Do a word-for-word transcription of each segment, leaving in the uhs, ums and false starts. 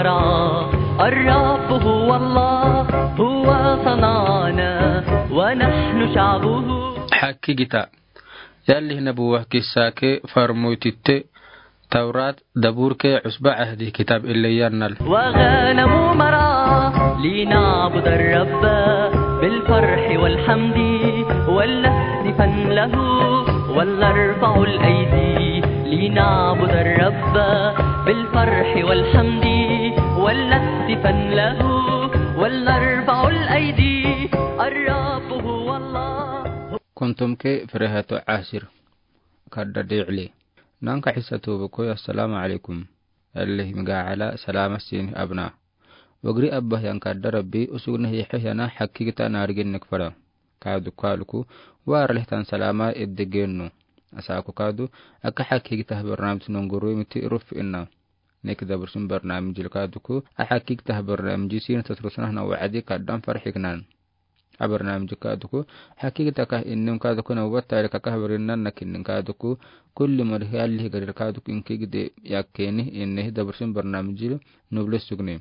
الرب هو الله، هو صنعنا ونحن شعبه. Hakkigita. Yalli nabuwa kissa ke farmoy titte Tawrat, Zabur ke, Cusba Cahdi kitaab ille yannal. وغنم مرعى لنعبد الرب بالفرح والحمد ولنهتفن له ولنرفع الأيدي لنعبد الرب بالفرح والحمد ولنهتفن له ولنرفع الأيدي الرب هو الله. Kuntum ke Firehato Asir. Kadda diile. Nanka Isa tuubu koy, assalaamu alaykum. Yalli migaala salaama siini abna. Wagri abba yan kadda Rabbi, usugna hiixe yana hakkigita naarigin nek fara. Kaadu kaaluku, waar lehtan salaama edde gennu. Asaaku kaadu, aka hakkigita barnaamij nonguru miti ruf inna. Nek dabarsun barnaamijil kaaduku, a hakkigita barnaamiji siina tatrusna hana wacdi kaddan farxiknan. A barnaamiji kaaduku, hakkigita ka innim kaaduku nabuwa tarik ka barinna nakinnin kaaduku, kulli mari yalli garir kaaduku inki gide yakkeni inne dabarsun barnaamijil nubli sugni.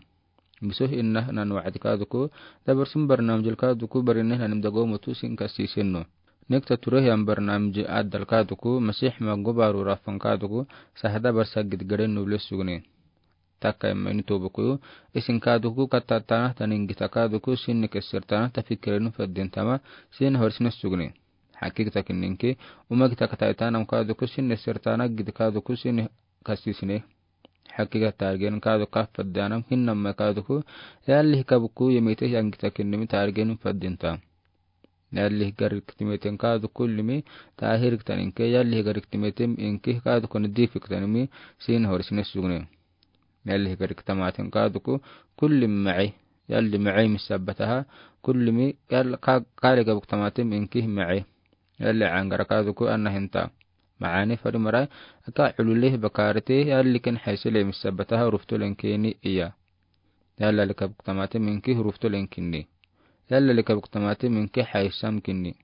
Bisoh inna nan wacdi kaaduku, dabarsun barnaamijil kaaduku barinne nanim dago mutu sin kasiisinnu. Nek tature yan barnaamiji addal kaaduku, Masih mangu baru rafan kaaduku, sahada barsa gid gade nubli sugni. Takka imma ini tuubu koyu, isin kaaduku katatana tanin gita kaaduku, sinni kessirtana tafikirenu faddintama, sin horisne sugni. Hakkigita kinninki, uma gita kataitana kaaduku, sinni sirtana gita kaaduku, sinni kasisine. Hakkigita taarigin kaaduku kafaddanam hinnamma kaaduku, yalli hikabuku yemite yan gita kinnimi taarigin faddinta. Yalli higariktimeten kaaduku limi, taahiriktaninke, yalli higariktimeten inki kaaduku nidifiktanimi, sin horisne sugni. Yalli higariktamaaten kaaduku, kulli maci. Yalli maci misabbataha, kullimi, yalli ka-, kaali gabuktamaten inki maci. Yalli angara kaaduku anna hinta. Macaani fari mara, aka culule bakaarite, yalli ken haysile misabbataha, ruftolen keni iya. Yalla lika buktamate minki hurufto lenkinni. Yalla lika buktamate minki haysam kinni.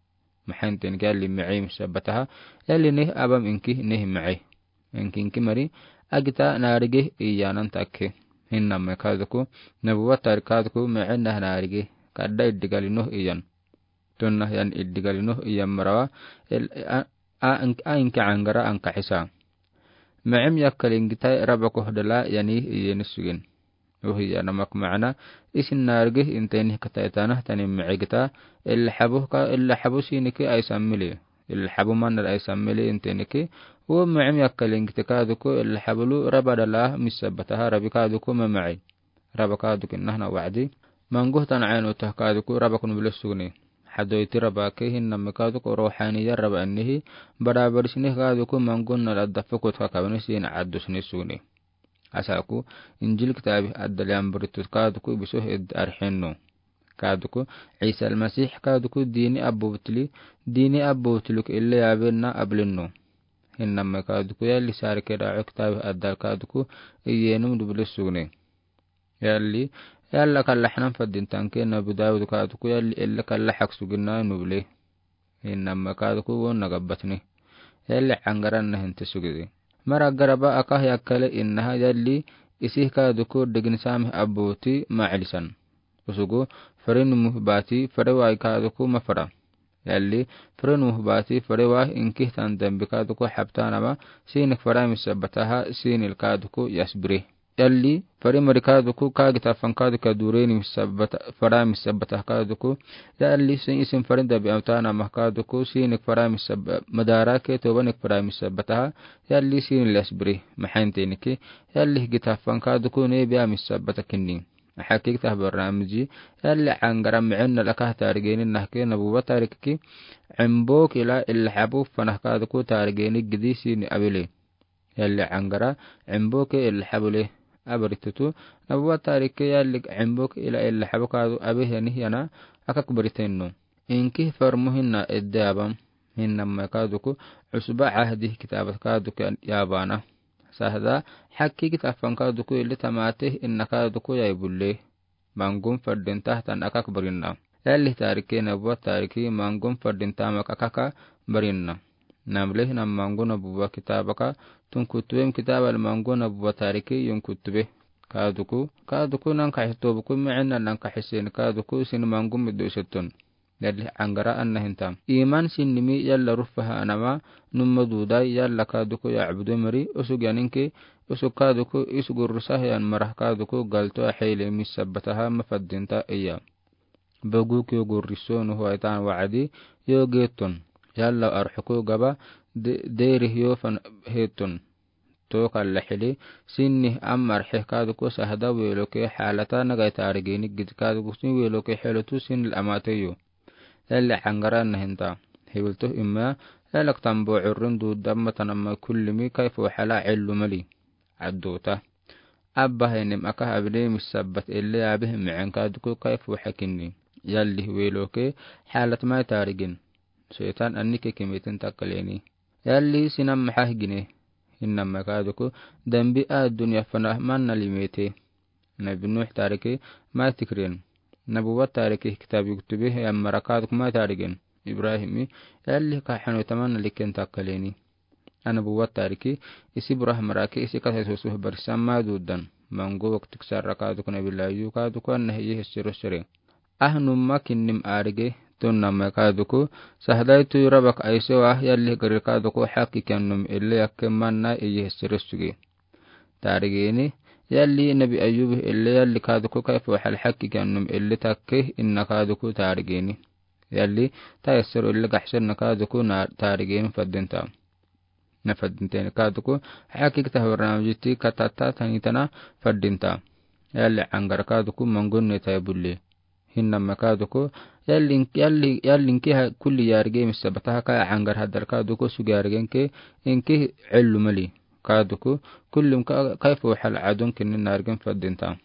Maxaynten yalli micim sabataha, yalli neh abam inki neh mici. Inki inki mari, agita naarige iyanan takke. Hinname kaaduku, nabuwa tarik kaaduku, micin nah naarige, kadda iddigali noh iyan. Tunna yan iddigali noh iyan marawa, el-, a, a, a inki angara anka xisa. Micim yakkalin gita raba kohdala yani iyeni sugin. Uhi yana mak macna, isin naarige inte nih kataitana tani mici gita, illa xabu ka, illa xabu siniki aysan mili. Illa xabu manna aysan mili inte niki, u micim yakkalin gita kaaduku, illa xabulu raba dala misabataha rabi kaaduku mamaci. Raba kaaduku nahna wacdi. Manguh tan caynu tah kaaduku raba kun bile sugni. Xadoyti raba ke hinname kaaduku ruuxaniya raba annihi, bada badisnih kaaduku mangun nala dafukut kakabani sin caddusni sugni. Asaku, Injil kitaabi addali amburitut kaaduku bisoh ed arxinnu. Kaaduku, Isa Almasix kaaduku diini abbubutili, diini abbubutuluk ille yaabenna ablinnu. Hinname kaaduku yalli saarike daaco kitaabi addal kaaduku iyenum dubli sugni. Yalli, yalla kalla xanan faddin tanke nabi Daawud kaaduku yalli ille kalla xak suginna nubli. Hinname kaaduku wonna gabbatni. Yalli cangaran nahinte sugidi. Mara garaba akah yakkale innaha yalli isih kaaduku degin samih abbuti macilisan. Usugu, fere numuh baati, fere waay kaaduku mafara. Yalli, fere numuh baati, fere waay inkih tan dambi kaaduku xabtanama, sinik fara misabataha, sinil kaaduku yasbiri. Yalli, fari mari kaaduku, kaagita fan kaaduku, dureni misabata, fara misabata kaaduku. Yalli, sin isin fari dabi amtana mah kaaduku, sinik fara misab-, madara ke tobanik fara misabata. Yalli, sin lesbri, maxaynteniki. Yalli, gita fan kaaduku, nebi amisabata kinni. Xakik tah barnaamiji. Yalli, angara micin nalakah tarigeni nahke nabuwa tarikiki. Cimbo kila illa xabu fanah kaaduku tarigeni gidi sini abili. Yalli angara, cimbo ke illa xabule. Abaritutu, nabuwa tarike yalli cimbo ke ila illa xabu kaadu abe yani yana akak baritennu. Inki farmu hinna edde abam, hinname kaaduku, cusba cahdi kitaabat kaaduku yaabana. Sahda, xakki kitaaban kaaduku illi tamaate inna kaaduku yai bulle. Mangun faddin tah tan akak barinna. Yalli tarike nabuwa tariki mangun faddin tamak akaka barinna. Namle nam mangun nabuwa kitaabaka tun kutube kitaabal mangun nabuwa tariki yun kutube. Kaaduku, kaaduku nankaxe tobuku mɛɛna nankaxe sɛn kaaduku sini mangu mido iseton. Yalli aŋgara anahenta. Iman sinimi yalla rufa ha anama numa duda yalla kaaduku ya abudu mari usug yaninke usug kaaduku isug rusa he an mara kaaduku galto a xeile misabata ha mafadinta iya. Bagu ki gurriso nu huaitan waadi yo geton. Yalla arxuku gaba de-, deri yo fan heton. Toka laxili, sinni amar xeh kaaduku sahda weloke xalata nagai tarigeni gid kaaduku sin weloke xelotu sin amateyo. Yalli aŋgara nahenta. Hiwilto imma, yalak tambo urrin du damma tanama kullimi kaifu xala cellu mali. Adduta. Abba henim aka abine misabat elle abih mɛɛn kaaduku kaifu xakinni. Yalli weloke xalat mai tarigin. Setan annike kimitin takaleni. Yalli sinam maxax gine. Hinnama kaaduku dambi a dunya fana manna limete. Nabi Nuux tarike mai tikren. Nabuwa tarike kitab yuktube he amara kaaduku mai tarigen. Ibrahimi yalli ka xanu tamanna liken takaleni. Anabuwa tarike isi burah marake isi kasa susuh barisan mai dudan. Mangu waktuk sarra kaaduku nabi layu kaaduku anna hiyi hessero sere. Ahnumma kinnim arige, tonnama kaaduku, sahdai tu rabak aiso ah yalli gari kaaduku xaki kiannum elle yakke manna iye hessere suge. Tarigeni, yalli nabi ayub elle yalli kaaduku kaifu xal xaki kiannum elle takke inna kaaduku tarigeni. Yalli, ta hessero elle gaxsen na kaaduku na tarigeni fadinta. Na fadinta ini kaaduku, xaki kita hawrnam jiti katata tani tana fadinta. Yalli aŋgara kaaduku mangunne ta bulle. Hinnama kaaduku, yalli, yalli, yalli inki ha kulli yarige misabata ha ka aŋgara hadar kaaduku sugi yarigenke inki cellu mali. Kaaduku, kullim ka, kaifu xal adun kinni narigen fadinta.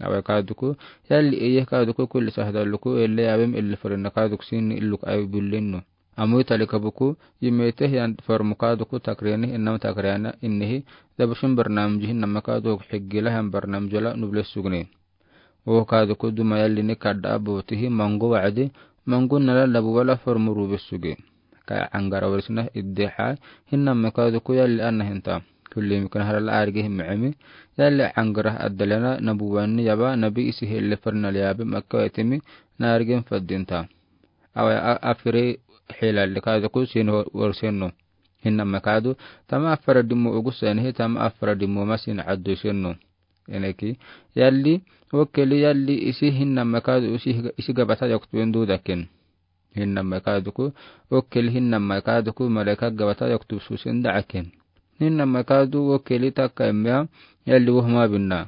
Awe kaaduku, yalli eye kaaduku kulli sahda luku, elle abem elle farina kaaduku sin illuk awe bullennu. Amu itali kabuku, yimete yan farmu kaaduku takreni, innam takrena, innihi, dabushin barnam jihin nama kaaduku xigila han barnam jola nuble sugne. O kaaduku duma yalli ni kadda abutihi mangu wacdi, mangu nala labu wala farmu rube suge. Ka aŋgara warisna iddexa, hinnama kaaduku yalli anahenta. Kulli mikna harala arige himcemi, yalli aŋgara addalena nabuwanni yaba, nabi isi helle farina liyabe makka wetemi, narigen fadinta. Awe a-, afire xelalli kaaduku sin ho-, warsenno. Hinnama kaadu, tama afara dimmo ugusenihi, tama afara dimmo masin addu senno. Eneki, yalli, okeli yalli isi hinnama kaadu isi, isi gabata yaktuben dudaken. Hinnama kaaduku, okeli hinnama kaaduku malaika gabata yaktu susen daaken. Hinnama kaadu okeli taka emea, yalli wohma binna.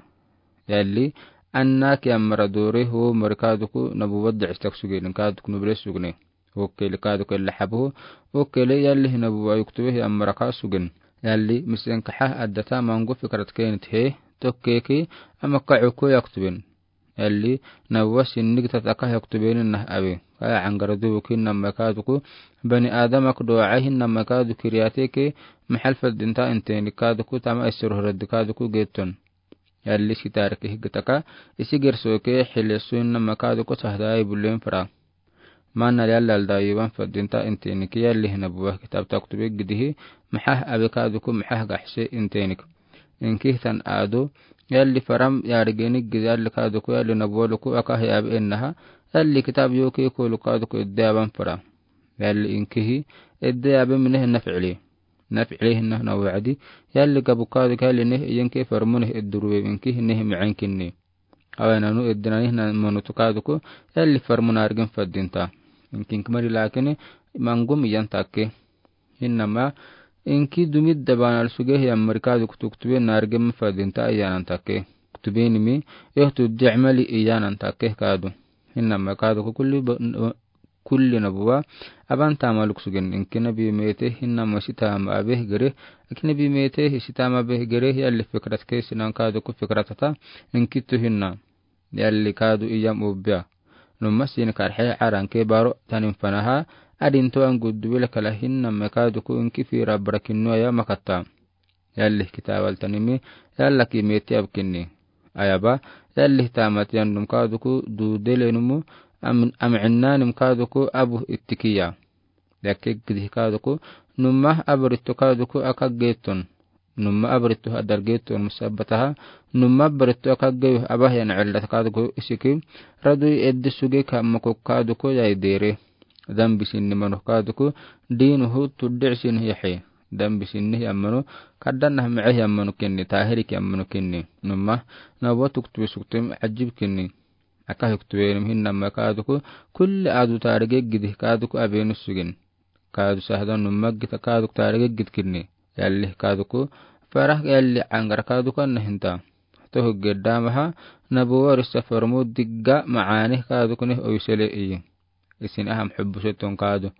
Yalli, anna ki amara dore ho mari kaaduku nabu wadda istak sugenin kaaduku nuble sugne. Okeli kaaduku ella xabu, okeli yalli hinabu wa yuktube hi amara kaa sugen. Yalli, misen kaxa addata mangu fikrat kenit he, tokkeki, ama ka uku yaktuben. Yalli, nawa sinnig tataka yaktubenin nah awe. Kaya aŋgara dubu kinnama kaaduku, bani Adam ak doa hinnama kaadu kiriyateke, maxal fadinta inteni kaaduku tama isir horadi kaaduku geton. Yalli isi tarike higitaka, isi gersoke, xilesu hinnama kaaduku sahda ai bulen fara. Mana yalli alda yuban fadinta inteni ki yalli hinabuwa kitab taktube gidihi, maxax abe kaaduku maxax gaxse intenik. Inki hitan adu, yalli faram yarigeni gidi yalli kaaduku yalli nabuwa luku aka hiyabe ennaha, yalli kitab yoke kolu kaaduku edde aban fara. Yalli inkihi, edde abe minehe nafcili. Nafcili hinna na wacdi, yalli gabu kaaduku yalli neh yenke farmu neh eddurube inki neh micenkinni. Awe nanu eddinani hinan monutu kaaduku, yalli farmu narigen fadinta. Inki inki mari lakini, mangum iyan takke. Hinnama, inki dumidda banal suge hiyan mari kaaduku tuktube narigen fadinta iyanan takke. Tubenimi, yohtu dicmali iyanan takke kaadu. Hinnama kaaduku kulli ba-, kulli nabuwa, aban tama luk sugen, inki nabi mete, hinnama isi tama abeh gere, inki nabi mete, isi tama abeh gere, yalli fikrat ke sinan kaaduku fikratata, inki tu hinna. Yalli kaadu iyam ubia. Numa sin karxe aranke baro tanin fanaha, adin to an guddu wele kala hinnama kaaduku inki fira barakinnu aya makata. Yalli kitabaltanimi, yalla ki meti abkinni. Ayaba, yalli tamat yannum kaaduku duudelenumu, am-, amcinnanim kaaduku abu ittikiya. Yakke gidih kaaduku, numa abu ritto kaaduku aka geton. Numma abaritto ha adalgeto musabbataha. Numma abaritto akaggeyo abahiyan ella kaduku isiki. Radu eddi suge ka mako kaduku yai dere. Dambi sinni manu kaduku dinuhu tuddi sinni yahi. Dambi sinni yamanu kaddan nah me'e yamanu kinni, tahiri ki yamanu kinni. Numma nabuwa tuktubi suktum ajib kinni. Aka huktubi nim hinnama kaduku kulli adu tarige gidi kaduku abenu sugin. Kadu sahda numma gita kaduku tarige gid kinni. Yalli kaduku farah yalli angara kaduku anna hinta. Tohu gedda maha nabuwa rissa farmu digga ma'ani kaduku nih owisele iyi. Isin aham hubbu shetton kadu.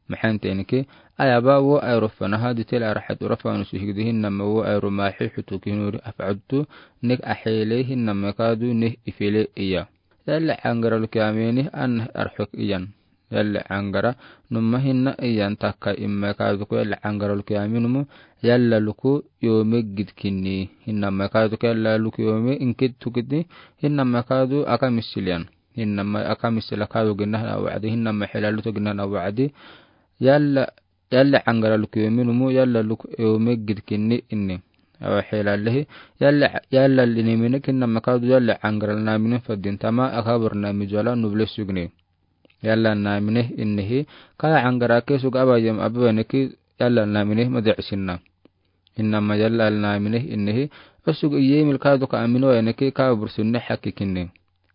Maxan tenike ayaba wo ayro fanaha ditel arhat urafanu suhigdi hinnama wo ayro maxi hutu kinuri af'adtu nek ahele hinnama kadu nih ifele iya. Yalla angara luki ameni an arhuk iyan. Yalla angara numma hinna iyan takka imma kaduku yalla angara luki aminumu yalla luku yome gid kinni. Hinnama kaduku yalla luku yome inkit tukitni hinnama kadu aka misiliyan. Hinnama aka misila kadu ginna na wa'di hinnama hilaluto ginna na wa'di. Yalla, yalla angara luku yome numu yalla luku yome gid kinni inni. Awa hilalehi yalla, yalla linimine kinnama kadu yalla angara namine fadin tama aka barnamij wala nuble sugni. Yalla namine innihi kaya angara ke sug aba yam ababaniki yalla namine madi'isinna. Hinnama yalla namine innihi usug iyemil kaduku amino eniki ka bursunne haki kinni.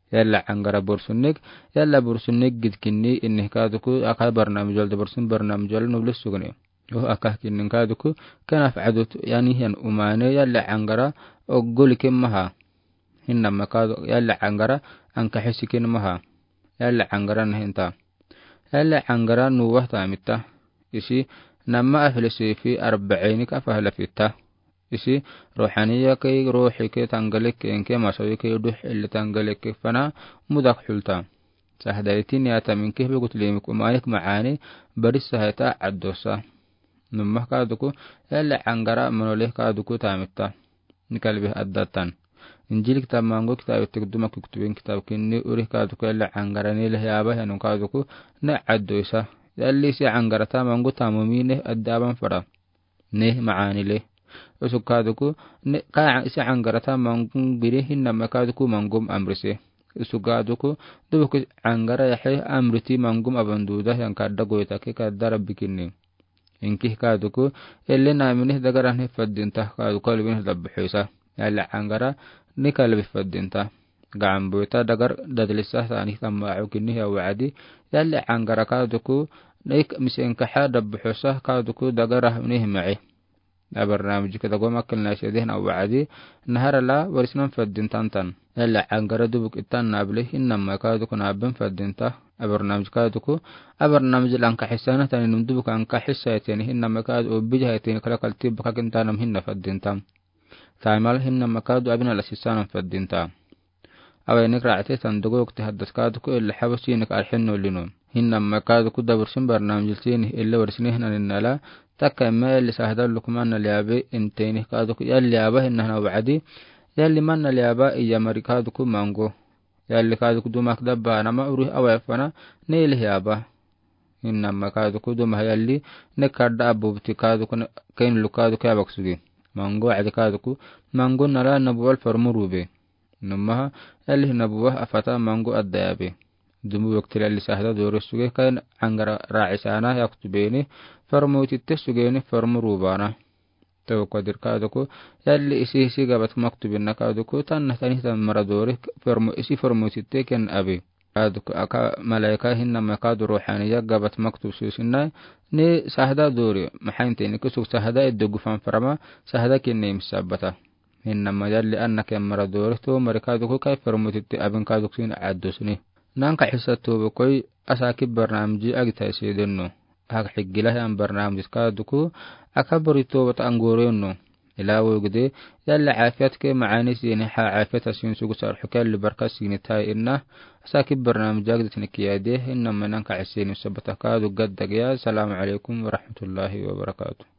Yalla angara bursunnik, yalla bursunnik gid kinni innihi kaduku aka barnamij walda bursun barnamij wala nuble sugni. Oh aka kinni kaduku kana fa'adut yani hiyan umane yalla angara ogguli kimmaha. Hinnama kadu yalla angara anka hisikin maha. Yalla angara nahinta. Yalla angara nuwah tamita. Isi nama afle sifi arba'ini ka fahla fita. Isi ruhaniya ke ruhi ke tangalek ke enke masawi ke duh elle tangalek ke fana mudak hulta. Sahda itini atamin ke begut limik umanik ma'ani baris sahata addosa. Numma kaduku yalla angara manole kaduku tamita. Nikalbi addatan. Injil kitab mango kitab itik duma kiktubin kitab kinni uri kaduku yalla angara nile yaba hanu kaduku ne addosa. Yalli si angara ta mango tamumi ne addaban fara. Ne ma'ani le. Usug kaduku ne ka isi angara ta mango biri hinnama kaduku mangom amrise. Usug kaduku dubuki angara yahe amriti mangom abanduda yan kadda goyta ke kadda rabbi kinni. Inkih kaduku elle namine dagara ne fadinta kaduku alwin dabbuhisa. Yalla angara nikalbi fadinta. Gacan boyta dagar dadlisa sani tamma aukini ya wa'di. Yalla angara kaduku nik misenkaha dabbuhisa kaduku dagara ne ma'i. Abarnamij ke dago makil nasi dehna wa'di. Naharala warisnan fadintan tan. Yalla angara dubuk itan nable hinnama kaduku naben fadinta. Abarnamij kaduku abarnamij lanka hisana tani num dubuk anka hisa tani hinnama kadu obija tani kala kalti bakakin tanam hinna fadinta. Taimal hinnama kadu abina la sisana fadinta. Awe nik ra'ate tan dogo wakti haddas kaduku illa habasini ka arhin nolino. Hinnama kaduku dabursin barnamij tini illa warisni hinan nala takka emme illa sahda lukman na liabe inteni kaduku yalli aba hinna na wa'di. Yalli man na liaba iya mari kaduku mango. Yalli kaduku dumak dabba nama uri awe fana ne ili yaba. Hinnama kaduku duma yalli ne kadda abu buti kaduku ne kain lu kaduku yabak sugi. Mango adi kaduku mango nala nabuwal farmu rube. Numaha yalli nabuwa afata mango adda yabe. Dumu wakti yalli sahda dore sugi kain angara ra'isana yaktubeni farmu titte sugeni farmu rubana. Tau kadir kaduku yalli isi isi gabat maktubin na kaduku tanna tani tan mara dore farmu isi farmu titte ken abi. Kaduku aka malaika hinnama kadu ruhaniya gabat maktub susinna ne sahda dore maxainte ni kusuk sahda eddo gufan farama sahda kinne misabata. Hinnama yalli anna ken mara dore to mari kaduku kai farmu titte abin kaduku sin addusni. Nanka hisa tobe koi asaki barnamiji agita isi denno. Hak higila hiyan barnamiji kaduku aka bari tobe ta angoreno. Ila wogde yalla afiyat ke ma'ani sini ha afiyat asin sugu sarxu ke yalli barka sini tai inna. Asaki barnamiji agita tini kiyade hinnama nanka hisa sini sabata kadu gadda giya. Salamu alaykum wa rahmatullahi wa barakatuh.